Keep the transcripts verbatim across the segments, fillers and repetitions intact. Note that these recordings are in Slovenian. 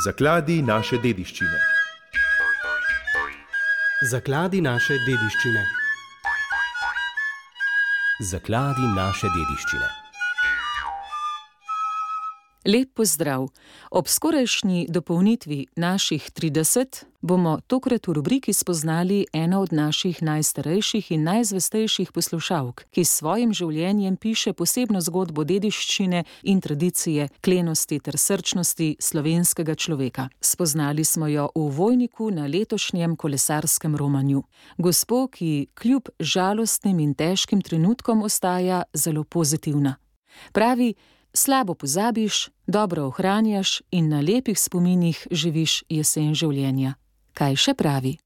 Zakladi naše dediščine. Zakladi naše dediščine. Zakladi naše dediščine. Lep pozdrav! Ob skorajšnji dopolnitvi naših trideset bomo tokrat v rubriki spoznali eno od naših najstarejših in najzvestejših poslušalk, ki s svojim življenjem piše posebno zgodbo dediščine in tradicije, klenosti ter srčnosti slovenskega človeka. Spoznali smo jo v Vojniku na letošnjem kolesarskem romanju. Gospo, ki kljub žalostnim in težkim trenutkom ostaja zelo pozitivna. Pravi: slabo pozabiš, dobro ohranjaš in na lepih spominih živiš jesen življenja. Kaj še pravi?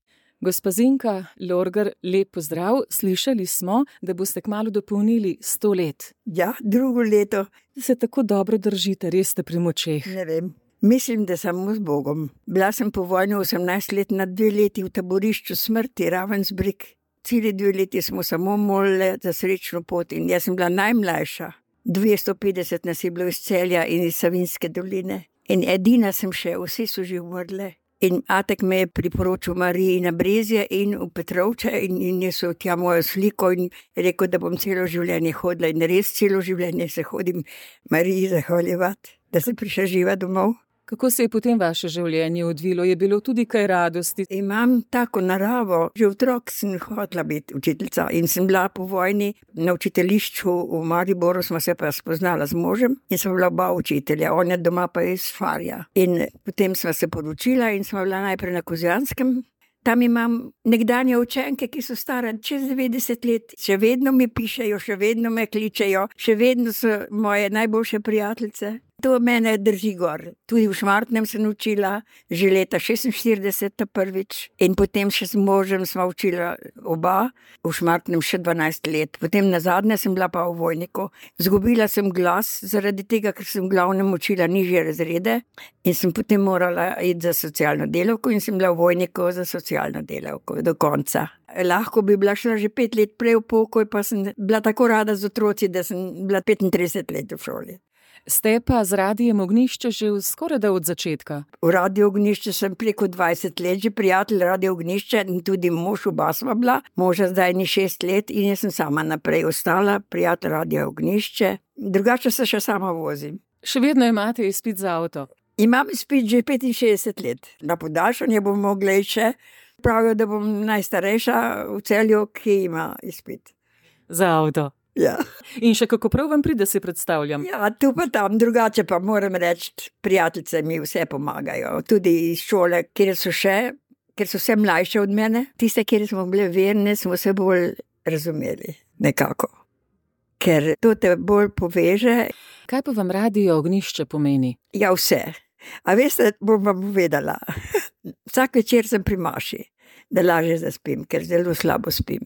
Gospa Zinka Lorgar, lep pozdrav. Slišali smo, da boste kmalu dopolnili sto let. Ja, drugo leto. Se tako dobro držite, res ste pri močeh. Ne vem. Mislim, da samo z Bogom. Bila sem po vojni osemnajst let na dve leti v taborišču smrti Ravensbrück. Celi dve leti smo samo molili za srečno pot in jaz sem bila najmlajša. dvesto petdeset nas je bilo iz Celja in iz Savinjske doline. In edina sem še, vsi so že umrli. In atek me je priporočil Mariji na Brezje in v Petrovče in, in je so tja mojo sliko in rekel, da bom celo življenje hodila in res celo življenje se hodim Mariji zahvaljevati, da sem prišla živa domov. Kako se je potem vaše življenje odvilo? Je bilo tudi kaj radosti? Imam tako naravo. Že otrok sem hotela biti učiteljica in sem bila po vojni na učiteljišču v Mariboru, smo se pa spoznala z možem in smo bila oba učitelja. On je doma pa iz Šmarja. In potem smo se poročila in smo bila najprej na Kozjanskem. Tam imam nekdanje učenke, ki so stare čez devetdeset let. Še vedno mi pišejo, še vedno me kličejo, še vedno so moje najboljše prijateljice. To mene drži gor. Tudi v Šmartnem sem učila, že leta šestinštirideset prvič. In potem še s možem sva učila oba, v Šmartnem še dvanajst let. Potem nazadnje sem bila pa v Vojniku. Zgubila sem glas zaradi tega, ker sem v glavnem učila nižje razrede in sem potem morala iti za socialno delavko in sem bila v Vojniku za socialno delavko do konca. Lahko bi bila šla že pet let prej v pokoj, pa sem bila tako rada z otroci, da sem bila petintrideset let v šoli. Ste pa z Radijem Ognjišče že skorajda od začetka? V Radiju Ognjišče sem preko dvajset let, že prijatelj Radija Ognjišče in tudi mož, oba sva bila. Moža zdaj ni šest let in jaz sem sama naprej ostala, prijatelj Radija Ognjišče. Drugače se še sama vozim. Še vedno imate izpit za avto? Imam izpit že petinšestdeset let. Na podaljšanje bom mogla iti še. Pravijo, da bom najstarejša v Celju, ki ima izpit. Za avto? Ja. In še kako prav vam pride, si predstavljam. Ja, tu pa tam, drugače pa moram reči, prijateljice mi vse pomagajo. Tudi iz šole, kjer so še, ker so vse mlajše od mene. Tiste, kjer smo bile verne, smo se bolj razumeli, nekako. Ker to te bolj poveže. Kaj pa vam Radio Ognjišče pomeni? Ja, vse. A veste, bom vam povedala. Vsak večer sem pri maši, da lažje zaspim, ker zelo slabo spim.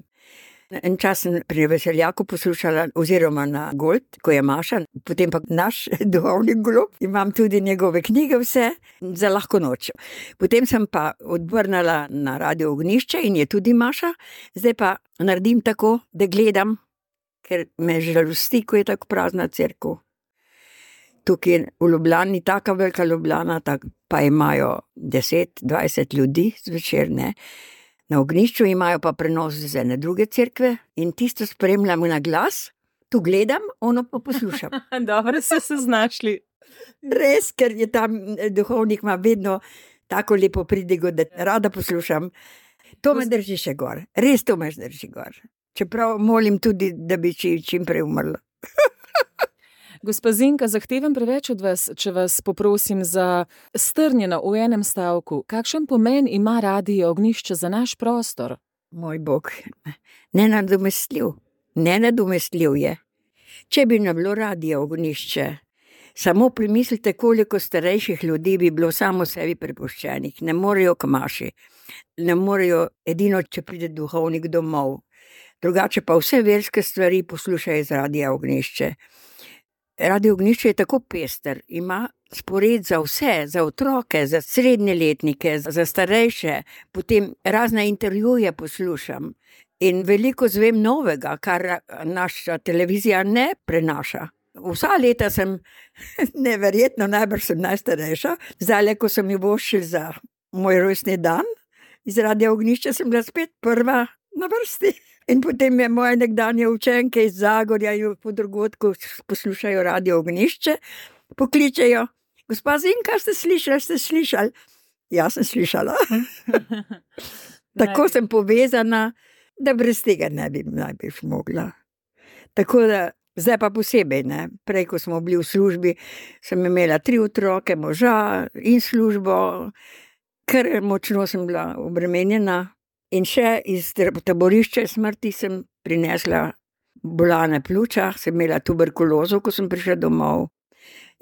En čas sem pri Veseljaku poslušala, oziroma na Gold, ko je Maša, potem pa naš duhovni golob. Imam tudi njegove knjige vse za lahko noč. Potem sem pa odvrnala na Radio Ognjišče in je tudi Maša. Zdaj pa naredim tako, da gledam, ker me žalosti, ko je tako prazna cerkev. Tukaj v Ljubljani, taka velika Ljubljana, tak, pa imajo deset, dvajset ljudi zvečer, ne. Na Ognjišču imajo pa prenos z ene druge cerkve in tisto spremljam na glas, tu gledam, ono pa poslušam. Dobro ste se znašli. Res, ker je tam duhovnik ima vedno tako lepo pridigo, da rada poslušam. To me drži še gor, res to me drži gor. Čeprav molim tudi, da bi čim, čim prej umrla. Gospa Zinka, zahtevam preveč od vas, če vas poprosim za strnjeno v enem stavku. Kakšen pomen ima Radio Ognjišče za naš prostor? Moj Bog, nenadomestljiv, nenadomestljiv je. Če bi ne bilo Radio Ognjišče, samo primislite, koliko starejših ljudi bi bilo samo sebi prepuščenih. Ne morejo k maši, ne morejo edino, če pride duhovnik domov. Drugače pa vse verske stvari poslušajo z Radija Ognjišče. Radio Ognjišče je tako pester, ima spored za vse, za otroke, za srednjeletnike, za starejše, potem razne intervjuje poslušam in veliko zvem novega, kar naša televizija ne prenaša. Vsa leta sem, neverjetno, najbrž sem najstarejša. Zdaj, ko sem jo voščil za moj rojstni dan, iz Radia Ognjišče sem bila spet prva na vrsti. In potem je moje nekdanje učenke iz Zagorja in po drugotku poslušajo Radio Ognjišče, pokličejo: gospa Zinka, ste slišali, ste slišali? Jaz sem slišala. Tako sem povezana, da brez tega ne bi najbrž mogla. Tako da, zdaj pa posebej, ne. Prej, ko smo bili v službi, sem imela tri otroke, moža in službo, ker močno sem bila obremenjena. In še iz taborišča smrti sem prinesla bolane pljuča, sem imela tuberkulozo, ko sem prišla domov.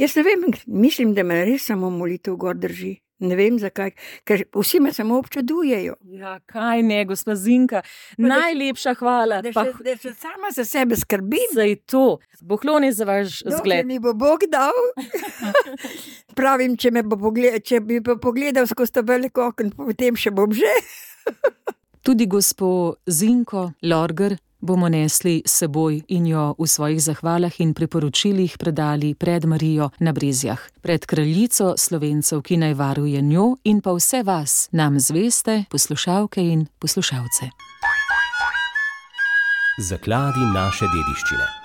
Jaz ne vem, mislim, da me res samo molitev gor drži. Ne vem zakaj, ker vsi me samo občudujejo. Ja, kaj ne, gospa Zinka, najlepša hvala. Da Pa še, da še sama za sebe skrbim. saj to, pokloni za vaš Dokler zgled. mi bo Bog dal. Pravim, če, me bo pogled, če bi pa pogledal skozi ta velik okno, potem še bom že. Tudi gospo Zinko Lorger bomo nesli s seboj in jo v svojih zahvalah in priporočilih predali pred Marijo na Brezjah, pred kraljico Slovencev, ki naj varuje njo in pa vse vas, nam zveste poslušalke in poslušalce. Zakladi naše dediščine.